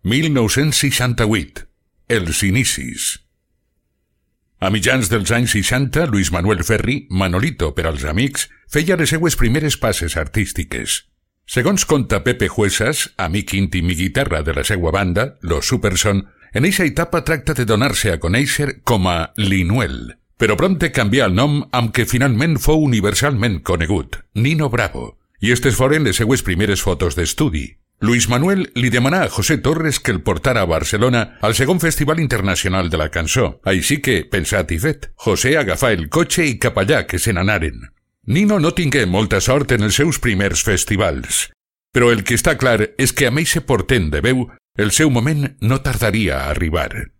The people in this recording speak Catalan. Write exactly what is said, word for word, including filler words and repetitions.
mil nou-cents seixanta-vuit. Els inicis. A mitjans dels anys seixanta, Luis Manuel Ferri, Manolito per als amics, feia les seues primeres passes artístiques. Segons conta Pepe Huesas, amic íntim i guitarra de la seua banda, Los Superson, en eixa etapa tracta de donar-se a conèixer com a Linuel, però prompte canvià el nom amb què finalment fou universalment conegut, Nino Bravo, i estes foren les seues primeres fotos d'estudi. Luis Manuel li demanà a José Torres que el portara a Barcelona al segon Festival Internacional de la Cançó, així que, pensat i fet, José agafà el cotxe i cap allà que se n'anaren. Nino no tingué molta sort en els seus primers festivals, però el que està clar és que amb eixe portent de veu, el seu moment no tardaria a arribar.